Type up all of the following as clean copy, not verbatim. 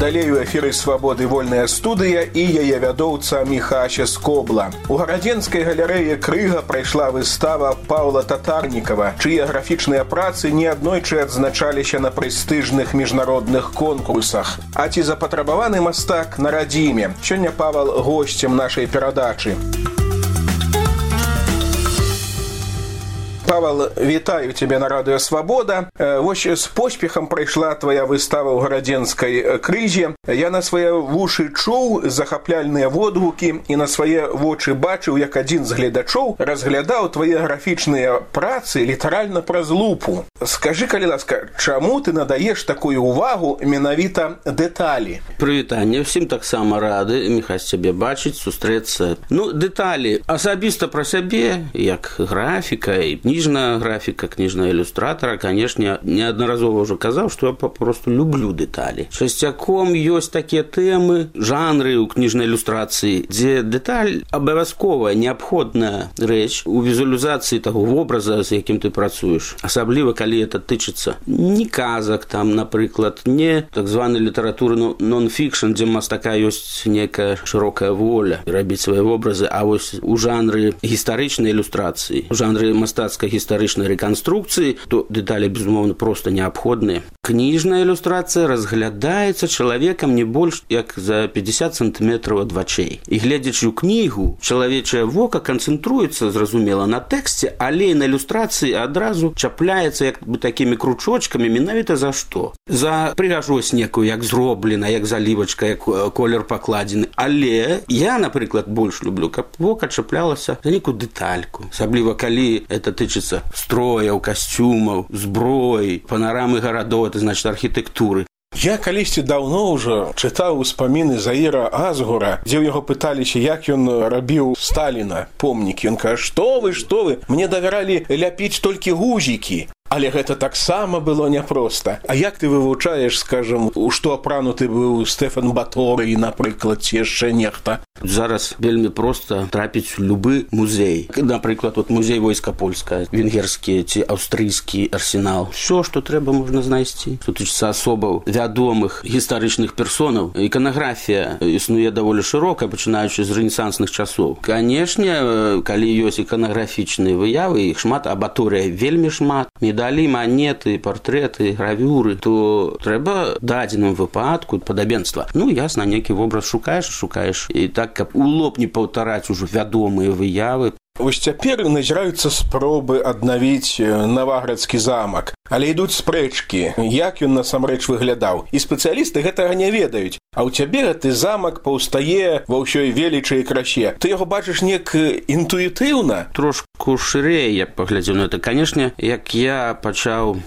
Далей у эфіры «Свабоды» вольная студыя і яе вядоўца Міхася Скобла. У гарадзенскай галерэі «Крыга» прайшла выстава Паўла Татарнікава, чые графічныя працы неаднойчы адзначаліся на прэстыжных міжнародных конкурсах. А ці запатрабаваны мастак на радзіме? Сёння Павал госцем нашай перадачы. Павел, вітаю тебя на радыё «Свабода». Вось з поспехам прайшла твоя выстава ў гарадзенскай «Крызе». Я на свае вушы чуў захапляльныя водгукі і на свае вочы бачыў, як адзін з гледачоў разглядаў твае графічныя працы літаральна праз лупу. Скажы, калі ласка, чаму ты надаеш такую увагу менавіта дэталі? Прывітанне, ўсім таксама рады, Міхась, цябе бачыць, сустрэцца. Дэталі асабіста пра сябе, як графіка і кніжная графіка, кніжная ілюстратара, канешне, неаднаразова ўжо казаў, што я папросту люблю дэталі. Часцяком ёсць такія тэмы, жанры ў кніжнай ілюстрацыі, дзе дэталь абавязковая, неабходная рэч у візуалізацыі таго вобраза, з якім ты працуеш. Асабліва, калі это тычыцца не казак, там, напрыклад, не так званай літаратуры нон-фікшн, дзе мастака ёсць некая шырокая воля рабіць свае вобразы, а вось у жанры гістарычнай ілюстрацыі, у жанры мастацкай гістарычнай рэканструкцыі, то дэталі, безумоўна, проста неабходныя. Кніжная ілюстрацыя разглядаецца чалавекам не больш як за 50 сантыметраў ад вачэй. І гледзячы ў кнігу, чалавечае вока канцэнтруецца, зразумела, на тэксце, але на ілюстрацыі адразу чапляецца як бы такімі кручочкамі, менавіта за што? За прыгажосць некую, як зроблена, як залівачка, як колер пакладзены. Але я, напрыклад, больш люблю, каб вока чаплялася за некую дэтальку. Асабліва, калі это тычыцца строяў, касцюмаў, зброі, панарамы гарадоў, это значит архітэктуры. Я калісьці даўно ўжо чытаў успаміны Заіра Азгура, дзе ў яго пыталіся, як ён рабіў Сталіна помнікі. Ён кажа, што вы, мне давяралі ляпіць толькі гузікі. Але гэта таксама было няпроста. А як ты вывучаеш, скажам, у што апрануты быў Стэфан Баторый, напрыклад, ці яшчэ нехта? Зараз вельмі проста трапіць у любы музей. Напрыклад, музей войска польскае, венгерскі ці аўстрыйскі арсенал. Усё, што трэба, можна знайсці. Што тычыцца асобаў вядомых гістарычных персонаў. Іканаграфія існуе даволі шырока, пачынаючы з рэнесансных часоў. Канешне, калі ёсць іканаграфічныя выявы, іх шмат, а Баторыя вельмі шмат, медалі, манеты, партрэты, гравюры, то трэба дадзеным выпадку падабенства. Ясна, некі вобраз шукаеш, і так, каб у лоб не паўтараць ужо вядомыя выявы. Вось цяпер назіраюцца спробы аднавіць Наваградскі замак, але ідуць спрэчкі, як ён насамрэч выглядаў. І спецыялісты гэтага не ведаюць. А ў цябе гэты замак паўстае ва ўсёй велічы і красе. Ты яго бачыш неяк інтуітыўна? Трошку шырэй я паглядзеў на это. Канешне, як я пачаў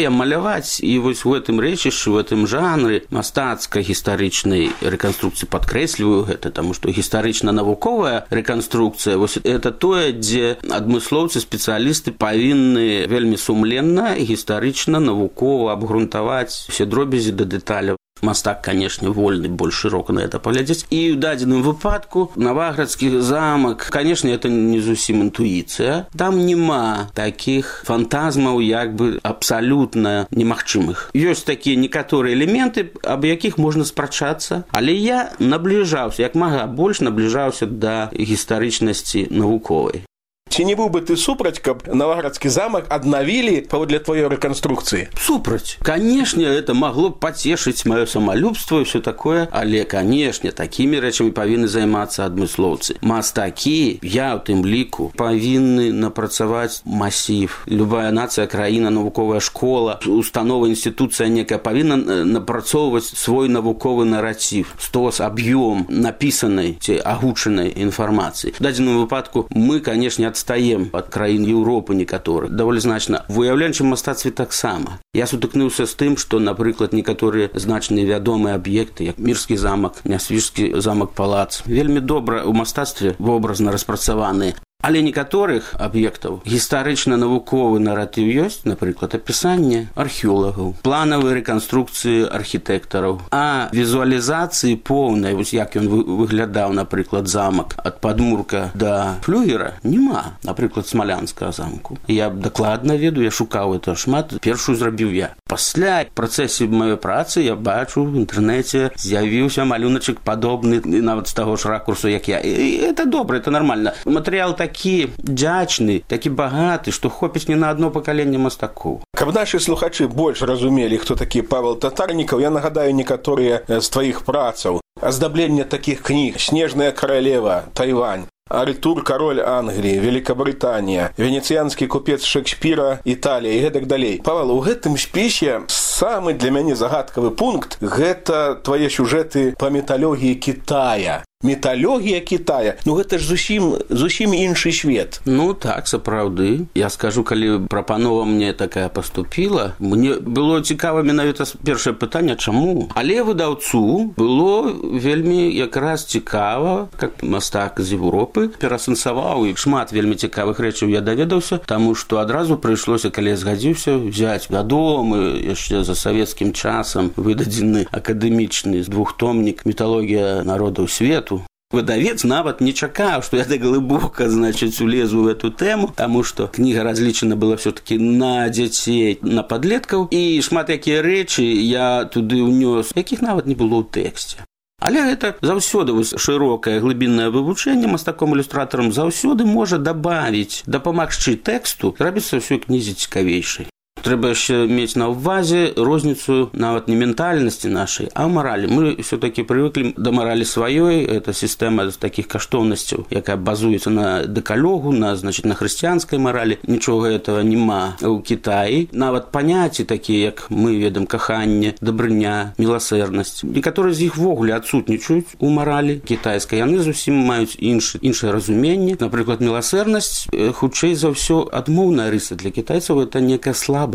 я маляваць, і вось у гэтым рэчышчы, у гэтым жанры мастацкай гістарычнай рэканструкцыі падкрэсліваю гэта, таму што гістарычна-навуковая рэканструкцыя, вось это тое, дзе адмыслоўцы, спецыялісты павінны вельмі сумленна, гістарычна, навукова абгрунтаваць усе дробязі да дэталяў. Мастак, канешне, вольны больш шырока на это паглядзець. І ў дадзеным выпадку Наваградскі замак, канешне, это не зусім інтуіцыя. Там няма такіх фантазмаў, як бы абсалютна немагчымых. Ёсць такія некаторыя элементы, аб якіх можна спрачацца, але я набліжаўся, як мага больш набліжаўся да гістарычнасці навуковай. Ці не быў бы ты супраць, каб Наваградскі замак аднавілі паводле тваёй рэканструкцыі? Супраць. Канешне, это магло б пацешыць маё самалюбства і ўсё такое, але, канешне, такімі рэчамі павінны займацца адмыслоўцы. Мастакі, я ў тым ліку, павінны напрацаваць масіў. Любая нацыя, краіна, навуковая школа, установа, інстытуцыя некая павінна напрацоўваць свой навуковы наратив, стос, аб'ём напісанай ці агучанай інфармацыі. В дадзеным выпадку мы, канешне, адстаем ад краін Еўропы некаторых. Даволі значна. В уяўленчым мастацтве таксама. Я сутыкнуўся з тым, што, напрыклад, некаторыя значныя вядомыя аб'екты, як Мірскі замак, Нясвіжскі замак-палац, вельмі добра ў мастацтве вобразна распрацаваныя. Але некаторых аб'ектаў гістарычна-навуковы наратыў ёсць, напрыклад, апісанне археолагаў, планавыя рэканструкцыі архітэктараў, а візуалізацыі поўнай, вось як ён выглядаў, напрыклад, замак ад падмурка да флюгера, няма, напрыклад, смалянскага замку. Я дакладна ведаю, я шукаў это шмат, першую зрабіў я. Пасля працэсе маёй працы я бачу в інтэрнэце з'явіўся малюначак падобны нават з таго ж ракурсу, як я. І это добра, это нормально. Матэрыял такі дзячны, такі багаты, што хопіць не на одно пакаленне мастакоў. Каб нашы слухачы больш разумелі, хто такі Павел Татарнікаў, я нагадаю некаторыя з тваіх працаў. Аздабленне такіх кніг: «Снежная каралева», «Тайвань», «Артур, король Англии», «Великобритания», «Венецианский купец Шекспира», «Италия» и гэтак далей. Павел, у гэтым спісе самы для мяне загадкавы пункт – гэта твае сюжэты па міталогіі Китая. Міталогія Китая, ну гэта ж зусім іншы свет. Ну так, сапраўды. Я скажу, калі прапанова мне такая паступіла, мне было цікава менавіта першае пытанне, чаму? Але выдаўцу было вельмі якраз цікава, как мастак з Европы перасэнсаваў, і шмат вельмі цікавых рэчаў я даведаўся, таму што адразу прыйшлося, калі я згадзіўся, взяць вядомы яшчэ за савецкім часам выдадзены акадэмічны двухтомнік «Міталогія народаў свету». Выдавец нават не чакаў, што я так глыбока, улезу в эту тэму, таму што кніга разлічана была все-таки на дзяцей, на падлеткаў, і шмат якія рэчы я туды ўнёс, якіх нават не было ў тэксце. Але гэта заўсёды шырокае глыбіннае вывучэнне мастаком-ілюстратарам заўсёды можа дабавіць, дапамагчы тэксту, рабіцца ўсёй кнізе цікавейшай. Трэба яшчэ мець на ўвазе розніцу нават не ментальнасці нашай, а маралі. Мы все-таки прывыклі да маралі сваёй. Это сістэма з такіх каштоўнасцяў, якая базуецца на дэкалогу, на хрысціянскай маралі. Нічога этого няма ў Кітаі. Нават паняцці такія, як мы ведам, каханне, дабрыня, міласэрнасць. Некаторыя з іх ввогуле адсутнічаюць у маралі кітайскай. Яны зусім маюць іншае разуменне. Напрыклад, міласэрнасць хутчэй за ўсё адмоўная рыса для кітайцаў, это некая слабасць.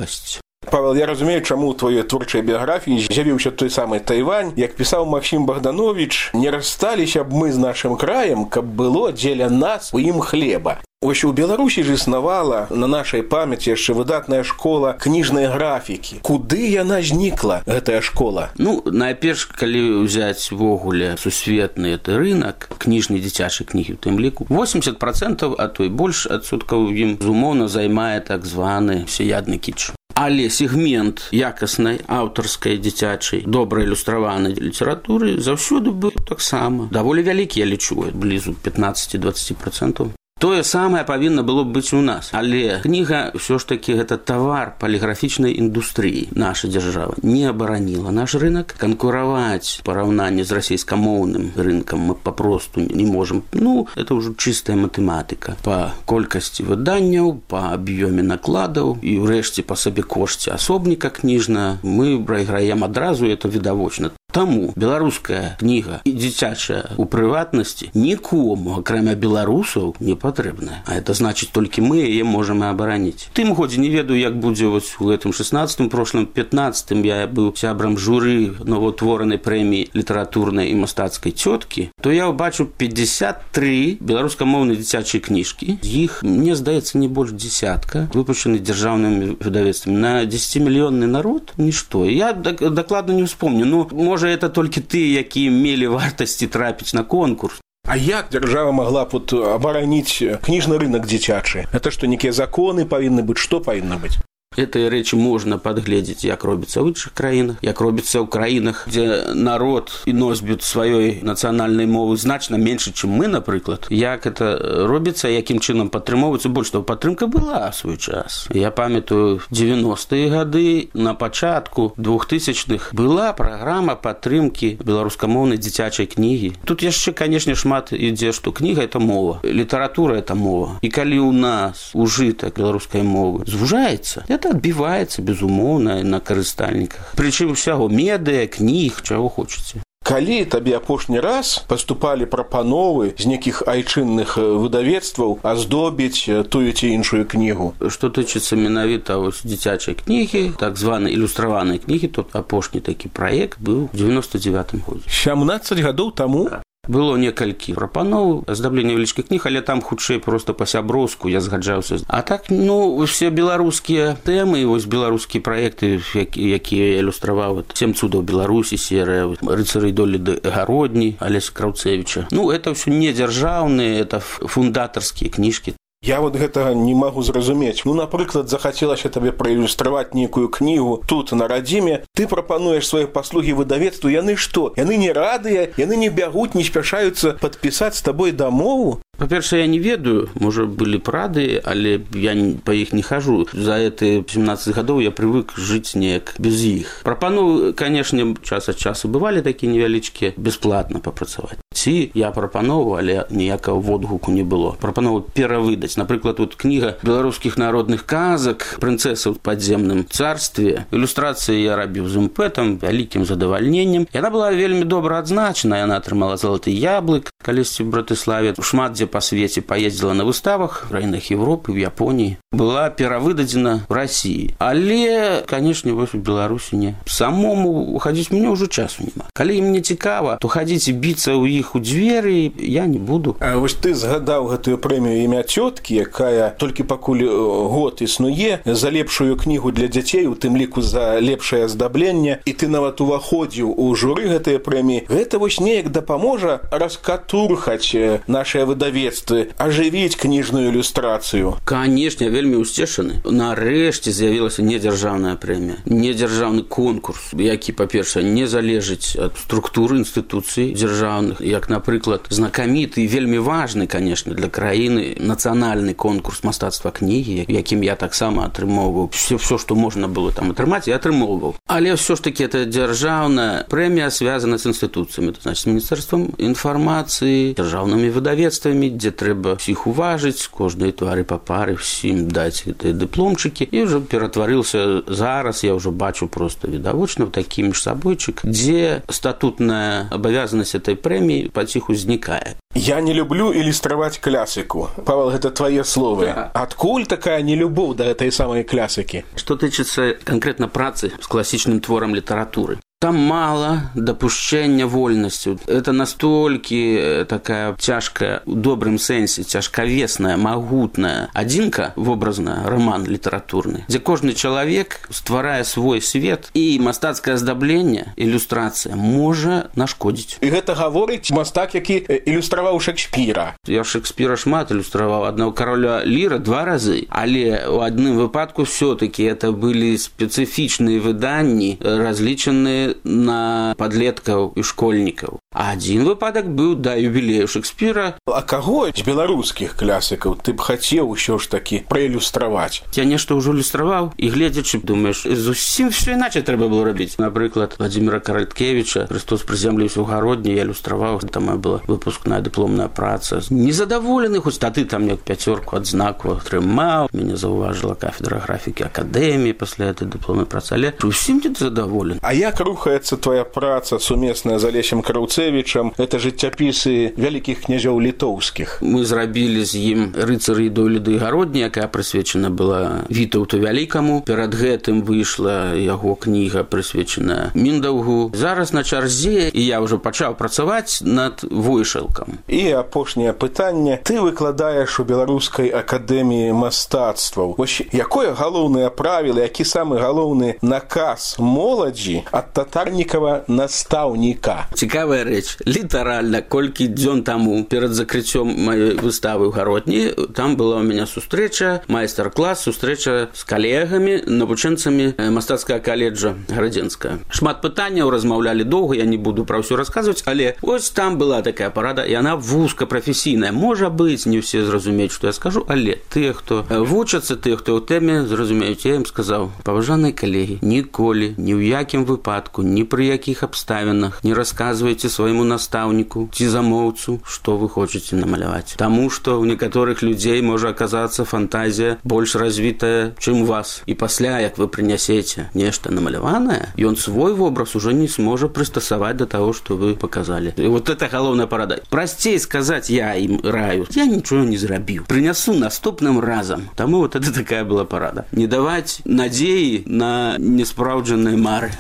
Павел, я разумею, чаму ў твоёй творчай біяграфіі з'явіўся той самы Тайвань. Як пісаў Максім Богданович, не рассталіся б мы з нашым краем, каб было дзеля нас у ім хлеба. Вось у Беларусі ж існавала на нашай памяці яшчэ выдатная школа кніжнай графікі. Куды яна знікла, гэтая школа? Ну, найперш, калі ўзяць ввогуле сусветны гэты рынак кніжнай дзіцячай кнігі, у тым ліку 80%, а то і больш адсоткаў ім зумоўна займае так званы всеядны кіч. Але сегмент якаснай аўтарскай дзіцячай добра ілюстраванай літаратуры заўсёды быў таксама даволі вялікі, я лічу, блізу 15-20%. Тое самае павінна было быць у нас. Але кніга ўсё ж такі гэта тавар паліграфічнай індустрыі. Наша дзяржава не абараніла наш рынок. Канкураваць параўнанне з расійскамоўным рынкам мы папросту не можам. Ну, это ўжо чыстая матэматыка. Па колькасці выданняў, па аб'ёме накладаў і ўрэшце па сабекошце асобніка кніжна мы прайграем адразу, это відавочна. Таму беларуская кніга і дзіцячая у прыватнасці нікому, акрамя беларусаў, не патрэбная. А это значыць, толькі мы яе можам і абараніць. Тым годзе не ведаю, як будзе вось у гэтым 16-м, прошлым 15-м я быў сябрам журы новаўтворанай прэміі літаратурнай і мастацкай цёткі, то я ўбачу 53 беларускамоўныя дзіцячыя кніжкі. З іх, мне здаецца, не больш дзесятка, выпушчаны дзяржаўнымі выдавецтвамі. На 10-мільённы народ нішто. Я дакладна не ўспомню. Ну, можа, это толькі тыя, якія мелі вартасці трапіць на конкурс. А як дзяржава магла б абараніць кніжны рынок дзіцячы? Это што, некія законы павінны быць? Што павінна быць? Гэтыя рэчы можна падгледзець, як робіцца ў іншых краінах, як робіцца ў краінах, дзе народ і носьбіт сваёй нацыянальнай мовы значна меншы, чым мы, напрыклад. Як это робіцца, якім чынам падтрымоўваецца, больш того, падтрымка была ў свой час. Я памятаю, 90-е гады, на пачатку 2000-х была праграма падтрымкі беларускамоўнай дзіцячай кнігі. Тут яшчэ, канешне, шмат ідзе, што кніга – это мова, літаратура – это мова. І калі ў нас ужытак беларускай мовы звужаецца, это адбіваецца, безумоўна, на карыстальніках. Прычым усяго медыа, кніг, чаго хочаце. Калі табе апошні раз паступалі прапановы з нейкіх айчынных выдавецтваў аздобіць тую ці іншую кнігу? Што тычыцца менавіта дзіцячай кнігі, так званай ілюстраванай кнігі, тут апошні такі праект быў у 99-м годзе. 17 гадоў таму? Было некалькі прапаноў аздаблення невялічкіх кніг, але там хутчэй просто па-сяброўску я згаджаўся. А так, усе беларускія тэмы, вось беларускія праекты, якія ілюстраваў 7 цудаў Беларусі, серыя рыцары долі гародні Алеся Краўцевіча. Это ўсё не дзяржаўныя, это фундатарскія кніжкі. Я гэтага не магу зразумець. Напрыклад, захацелася табе праілюстраваць нейкую кнігу тут, на радзіме. Ты прапануеш свае паслугі выдавецтву. Яны што? Яны не радыя, яны не бягуць, не спяшаюцца падпісаць з табой дамову? Па-першае, я не ведаю, можа, былі б рады, але я па іх не хожу. За эти 17 гадоў я прывык жыць неяк без іх. Прапановы, канешне, час ад часу бывалі такія невялічкія, бясплатна папрацаваць. Ці я прапанову, але ніякага водгуку не было. Прапанову перавыдаць. Напрыклад, тут кніга беларускіх народных казак «Прынцэса ў падземным царстве». Ілюстрацыі я рабіў з імпэтам, вялікім задавальненнем. Яна была вельмі добра адзначана, яна атрымала залаты яблык калісьці в Братыславе. Шмат дзе па свеце паездзіла на выставах в краінах Европы, в Японіі. Была перавыдадзена в России. Але, канешне, вось у Беларусі не. Самому хадзіць мне ўжо часу няма. Калі ім не цікава, то хадзіць і біцца ў іх у дзверы я не буду. А вось ты згадаў гэтую прэмію «Імя цёткі», якая толькі пакуль год існуе, за лепшую кнігу для дзяцей, у тым ліку за лепшае аздабленне, і ты нават уваходзіў у журы гэтай прэміі. Гэта вось неяк дапаможа раскатурхаць нашае выдавецтвы, ажывіць кніжную ілюстрацыю. Канешне, я вельмі ўсцешаны. Нарэшце з'явілася недзяржаўная прэмія, недзяржаўны конкурс, які, па-першае, не залежыць ад структуры інстытуцый дзяржаўных, як, напрыклад, знакаміты і вельмі важны, канешне, для краіны нацыянальны конкурс мастацтва кнігі, якім я таксама атрымоўваў. Все, што можна было там атрымаць, я атрымоўваў. Але ўсё ж таки это дзяржаўная прэмія связана з інстытуцыямі, то значит, з міністэрствам інфармацыі, дзяржаўнымі выдавецтвамі, дзе трэба ўсіх уважыць, кожнай твары па пары, всім даць гэтыя дыпломчыкі. І ўжо ператварыўся зараз, я ўжо бачу просто відавочна, такі міжсабойчык, дзе статутная абавязанасць этой прэміі паціху знікае. Я не люблю ілюстраваць клясыку. Павел, гэта твае словы. Адкуль такая нелюбоў да гэтай самай клясыкі? Што тычыцца канкрэтна працы з класічным творам літаратуры. Там мало допущения вольности. Это настолько такая тяжкая, в добром сенсе, тяжковесная, могутная адзінка, вобразная, роман литературный, где каждый человек, стварая свой свет, и мастацкое аздабленне, иллюстрация, может нашкодить. И это говорит мастак, які иллюстровал Шекспира. Я Шекспира шмат иллюстровал, одного короля Лира 2 разы, але в одном выпадку все-таки это были специфичные выдания, различные на подлеткаў і школьнікаў. А адзін выпадак быў да юбілею Шекспіра. А каго з беларускіх клясікаў ты б хацеў усё ж такі праілюстраваць? Я нешта ўжо ілюстраваў, і гледзячы, думаеш, зусім все іначай трэба было рабіць. Напрыклад, Владзіміра Караткевіча «Христос прызямліўся ў гародні» я ілюстраваў, там была выпускная дыпломная праца. Незадаволены, хоць тады там як 5 адзнаку атрымаў, мяне заўважыла кафедра графікі акадэміі пасля гэтай дыпломнай працы, але усім не задаволены. А як рухаецца твоя праца сумесная з Алесем Краўцевічам? Это жыццяпісы вялікіх князёў літоўскіх. Мы зрабілі з ім рыцары долі гародні, якая прысвечана была Вітаўту Вялікаму. Перад гэтым выйшла яго кніга, прысвечаная Міндаўгу. Зараз на чарзе, і я ўжо пачаў працаваць над Войшалкам. І апошняе пытанне. Ты выкладаеш у Беларускай акадэміі мастацтваў. Вось якое галоўнае правіла, які самы галоўны наказ моладзі ад татарнікава настаўніка? Цікавая рэч. Літаральна, колькі дзён таму перад закрыццём маёй выставы ў гародні, там была у мяне сустрэча, майстар-клас, сустрэча з калегамі, навучэнцамі мастацкага каледжа гарадзенская. Шмат пытанняў, размаўлялі доўга, я не буду пра ўсё расказваць, але вось там была такая парада, і яна вузкапрафесійная. Можа быць, не ўсе зразумеюць, што я скажу, але тыя, хто вучацца, тыя, хто ў тэме, зразумеюць. Я ім сказаў: паважаныя калегі, ніколі, ні ў якім выпадку, ні пры якіх абставінах не расказвайце свайму настаўніку ці замоўцу, што вы хочаце намаляваць. Таму што ў некаторых людзей можа аказацца фантазія больш развітая, чым у вас. І пасля, як вы прынясеце нешта намаляванае, ён свой вобраз уже не сможа прыстасаваць да таго, што вы паказалі. І вот это галоўная парада. Прасцей сказаць я ім раю: я нічого не зрабіў. Прынясу наступным разам. Таму вот это такая была парада. Не даваць надзеі на неспраўджаныя мары.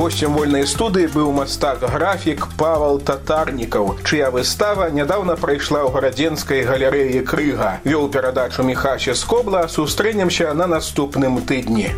Гостем вольнай студыі быў мастак-графік Павал Татарнікаў, чыя выстава нядаўна прайшла ў гарадзенскай галерэі Крыга. Вёў перадачу Міхася Скобла. Сустрэнемся на наступным тыдні.